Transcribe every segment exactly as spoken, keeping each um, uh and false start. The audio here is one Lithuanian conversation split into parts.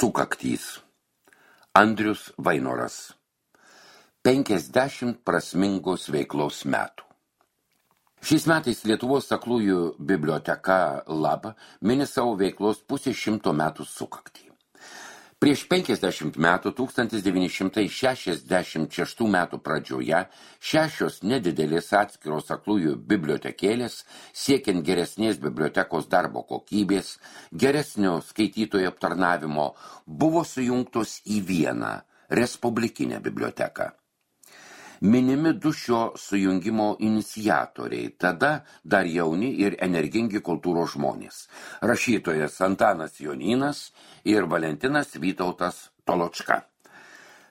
Sukaktys. Andrius Vainoras. penkiasdešimt prasmingos veiklos metų. Šiais metais Lietuvos aklųjų biblioteka Lab mini savo veiklos pusės šimto metų sukaktį. Prieš penkiasdešimt metų, tūkstantis devyni šimtai šešiasdešimt šeštų metų pradžioje, šešios nedidelės atskiros aklųjų bibliotekėlės, siekiant geresnės bibliotekos darbo kokybės, geresnio skaitytojų aptarnavimo, buvo sujungtos į vieną respublikinę biblioteką. Minimi du šio sujungimo iniciatoriai, tada dar jauni ir energingi kultūros žmonės – rašytojas Antanas Jonynas ir Valentinas Vytautas Toločka.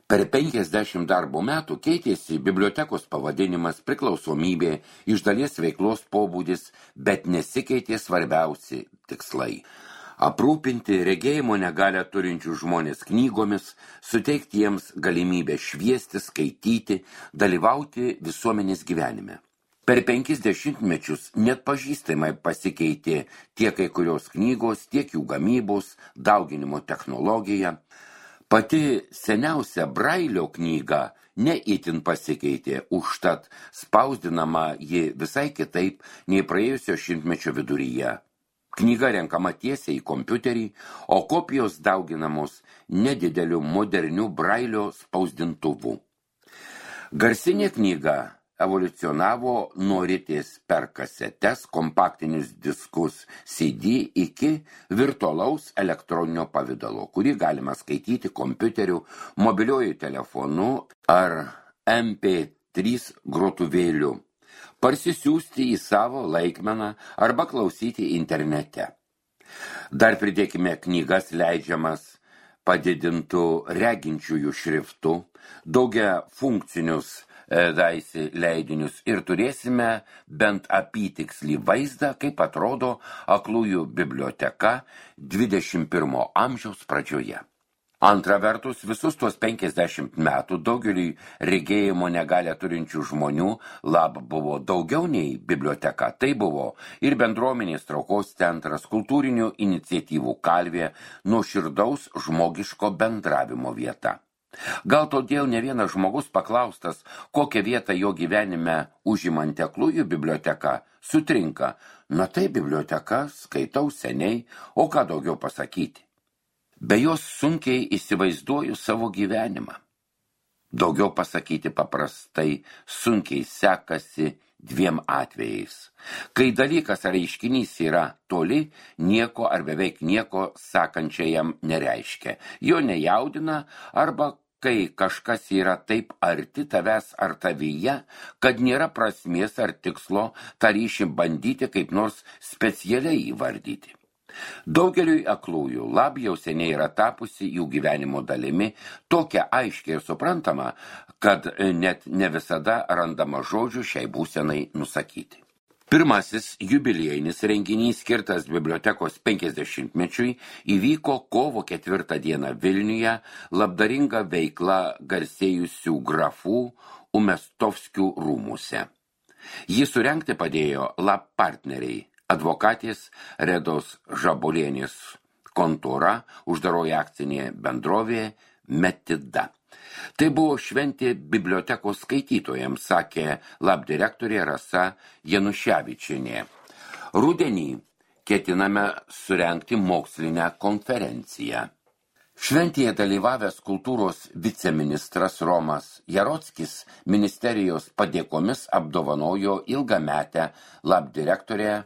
Per penkiasdešimt darbo metų keitėsi bibliotekos pavadinimas, priklausomybė, iš dalies veiklos pobūdis, bet nesikeitė svarbiausi tikslai. Aprūpinti regėjimo negalią turinčių žmonės knygomis, suteikti jiems galimybę šviesti, skaityti, dalyvauti visuomenės gyvenime. Per penkis dešimtmečius net pažįstamai pasikeitė tiek kai kurios knygos, tiek jų gamybos, dauginimo technologija. Pati seniausia Brailio knyga ne itin pasikeitė, užtat spausdinama ji visai kitaip nei praėjusio šimtmečio viduryje. Knyga renkama tiesiai į kompiuterį, o kopijos dauginamos nedideliu moderniu Brailio spausdintuvu. Garsinė knyga evoliucionavo nuo ritės per kasetes, kompaktinius diskus C D iki virtualaus elektroninio pavidalo, kurį galima skaityti kompiuteriu, mobiliuoju telefonu ar M P trys grotuvėliu, parsisiųsti į savo laikmeną arba klausyti internete. Dar pridėkime knygas leidžiamas padidintų reginčiųjų šriftų, daugia funkcinius daisi leidinius ir turėsime bent apytikslį vaizdą, kaip atrodo aklųjų biblioteka dvidešimt pirmo amžiaus pradžioje. Antra vertus, visus tuos penkiasdešimt metų daugeliui regėjimo negalią turinčių žmonių Lab buvo daugiau nei biblioteka. Tai buvo ir bendruomenės traukos centras, kultūrinių iniciatyvų kalvė, nuoširdaus žmogiško bendravimo vieta. Gal todėl ne vienas žmogus paklaustas, kokią vietą jo gyvenime užimanti aklųjų biblioteka, sutrinka. Na tai biblioteka, skaitau seniai, o ką daugiau pasakyti? Be jos sunkiai įsivaizduoju savo gyvenimą. Daugiau pasakyti paprastai sunkiai sekasi dviem atvejais. Kai dalykas ar reiškinys yra toli, nieko ar beveik nieko sakančiajam nereiškia. Jo nejaudina arba kai kažkas yra taip arti tavęs ar tavyje, kad nėra prasmės ar tikslo tą ryšį bandyti kaip nors specialiai įvardyti. Daugeliui aklųjų Lab jau seniai yra tapusi jų gyvenimo dalimi, tokia aiškiai ir suprantama, kad net ne visada randama žodžių šiai būsenai nusakyti. Pirmasis jubiliejinis renginys skirtas bibliotekos penkiasdešimtmečiui įvyko kovo ketvirtą dieną Vilniuje labdaringa veikla garsėjusių grafų Umestovskių rūmuose. Jį surengti padėjo Lab partneriai, advokatės Redos Žabolienės kontora, uždaroji akcinė bendrovė Metida. Tai buvo šventė bibliotekos skaitytojams, sakė Lab direktorė Rasa Januševičienė. Rudenį ketiname surengti mokslinę konferenciją. Šventėje dalyvavęs kultūros viceministras Romas Jarockis ministerijos padėkomis apdovanojo ilgametę Lab direktorę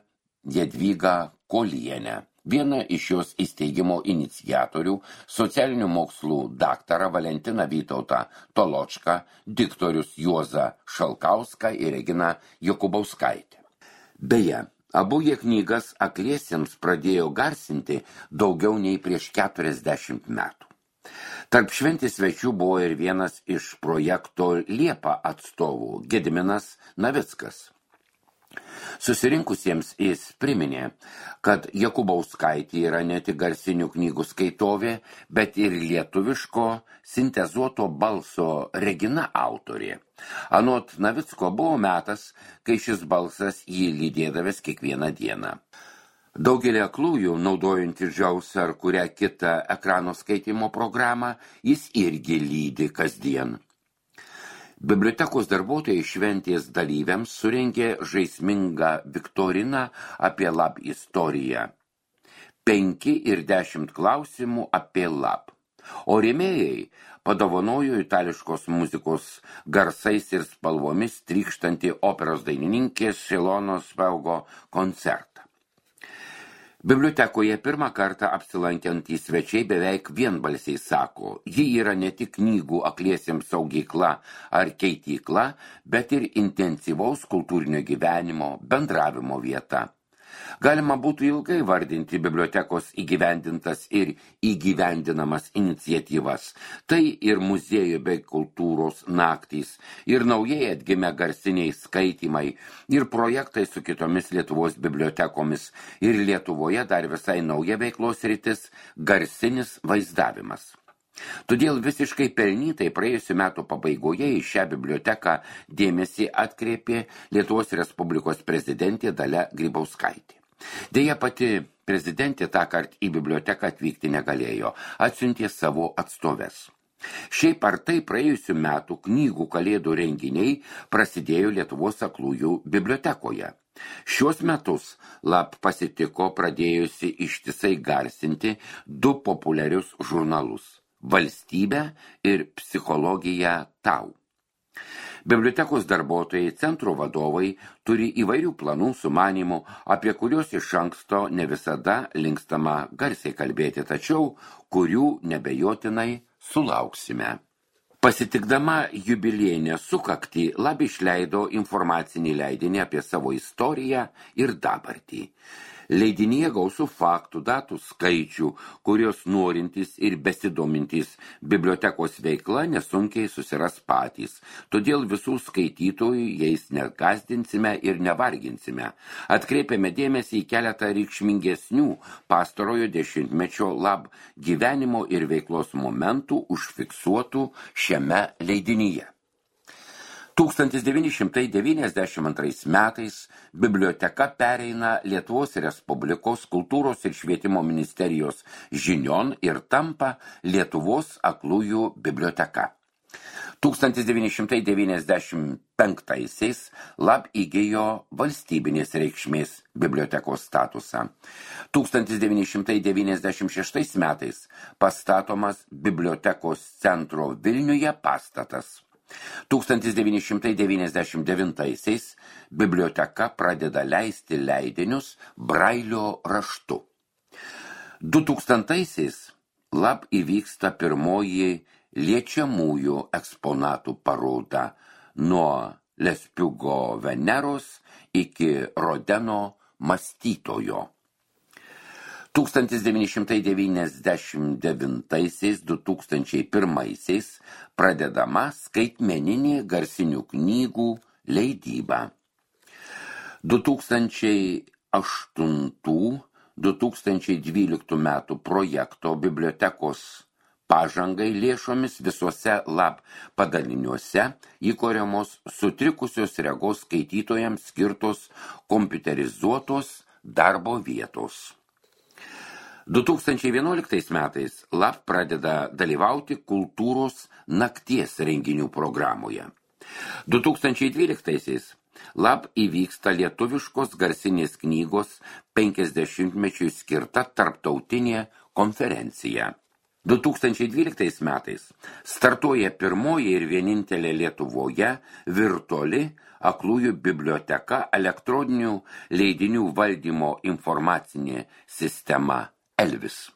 Jadvygą Kolienę. Viena iš jos įsteigimo iniciatorių, socialinių mokslų daktarą Valentiną Vytautą Toločką, diktorius Juozą Šalkauską ir Reginą Jokubauskaitę. Beje, abu jie knygas akliesiems pradėjo garsinti daugiau nei prieš keturiasdešimt metų. Tarp šventės svečių buvo ir vienas iš projekto Liepa atstovų, Gediminas Navickas. Susirinkusiems jis priminė, kad Jokubauskaitė yra ne tik garsinių knygų skaitovė, bet ir lietuviško sintezuoto balso Regina autorė. Anot Navicko buvo metas, kai šis balsas jį lydėdavęs kiekvieną dieną. Daugelį aklųjų, naudojant Jaws ar kurią kitą ekrano skaitimo programą, jis irgi lydi kasdien. Bibliotekos darbuotojai šventės dalyviams surengė žaismingą viktoriną apie lab istoriją. Penki ir dešimt klausimų apie lab. O rėmėjai padovanojo itališkos muzikos garsais ir spalvomis trykštantį operos dainininkės Šilonos Spaugo koncertą. Bibliotekoje pirmą kartą apsilankiantys svečiai beveik vienbalsiai sako, ji yra ne tik knygų akliesiems saugykla ar keitykla, bet ir intensyvaus kultūrinio gyvenimo, bendravimo vieta. Galima būtų ilgai vardinti bibliotekos įgyvendintas ir įgyvendinamas iniciatyvas. Tai ir muziejų bei kultūros naktys, ir naujai atgimę garsiniai skaitymai, ir projektai su kitomis Lietuvos bibliotekomis, ir Lietuvoje dar visai nauja veiklos sritis – garsinis vaizdavimas. Todėl visiškai pelnytai praėjusių metų pabaigoje į šią biblioteką dėmesį atkreipė Lietuvos Respublikos prezidentė Dalia Grybauskaitė. Deja, pati prezidentė tąkart į biblioteką atvykti negalėjo, atsiuntė savo atstoves. Šiaip ar tai praėjusių metų knygų kalėdų renginiai prasidėjo Lietuvos aklųjų bibliotekoje. Šios metus lab pasitiko pradėjusi ištisai garsinti du populiarius žurnalus – Valstybę ir Psichologija tau. Bibliotekos darbuotojai, centro vadovai turi įvairių planų sumanymų, apie kuriuos iš anksto ne visada linkstama garsiai kalbėti, tačiau kurių nebejotinai sulauksime. Pasitikdama jubiliejinę sukaktį, lab išleido informacinį leidinį apie savo istoriją ir dabartį. Leidinyje gausų faktų, datų skaičių, kurios norintys ir besidomintys bibliotekos veikla nesunkiai susiras patys. Todėl visų skaitytojų jais negazdinsime ir nevarginsime. Atkreipiame dėmesį į keletą reikšmingesnių pastarojo dešimtmečio lab gyvenimo ir veiklos momentų užfiksuotų šiame leidinyje. tūkstantis devyni šimtai devyniasdešimt antrais metais biblioteka pereina Lietuvos Respublikos kultūros ir švietimo ministerijos žinion ir tampa Lietuvos aklųjų biblioteka. tūkstantis devyni šimtai devyniasdešimt penktaisiais lab įgijo valstybinės reikšmės bibliotekos statusą. tūkstantis devyni šimtai devyniasdešimt šeštais metais pastatomas bibliotekos centro Vilniuje pastatas. tūkstantis devyni šimtai devyniasdešimt devintaisiais biblioteka pradeda leisti leidinius Brailio raštu. du tūkstantaisiais lab įvyksta pirmoji liečiamųjų eksponatų paroda nuo Lespiugo Veneros iki Rodeno mąstytojo. tūkstantis devyni šimtai devyniasdešimt devintaisiais - du tūkstančiai pirmaisiais pradedama skaitmeninė garsinių knygų leidyba. du tūkstančiai aštuntų - du tūkstančiai dvyliktų metų projekto bibliotekos pažangai lėšomis visuose lab padaliniuose įkuriamos sutrikusios regos skaitytojams skirtos kompiuterizuotos darbo vietos. du tūkstančiai vienuoliktais metais lab pradeda dalyvauti kultūros nakties renginių programoje. du tūkstančiai dvyliktaisiais lab įvyksta lietuviškos garsinės knygos penkiasdešimtmečiui skirta tarptautinė konferencija. du tūkstančiai dvyliktais metais startuoja pirmoji ir vienintelė Lietuvoje virtuali aklųjų biblioteka elektroninių leidinių valdymo informacinė sistema Elvis.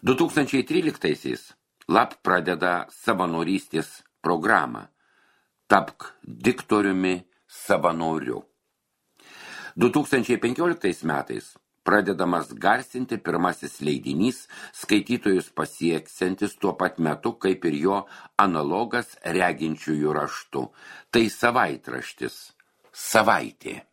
du tūkstančiai tryliktaisiais lab pradeda savanorystės programą Tapk diktoriumi savanoriu. du tūkstančiai penkioliktais metais pradedamas garsinti pirmasis leidinys skaitytojus pasieksiantis tuo pat metu kaip ir jo analogas reginčiųjų raštu. Tai savaitraštis Savaitė.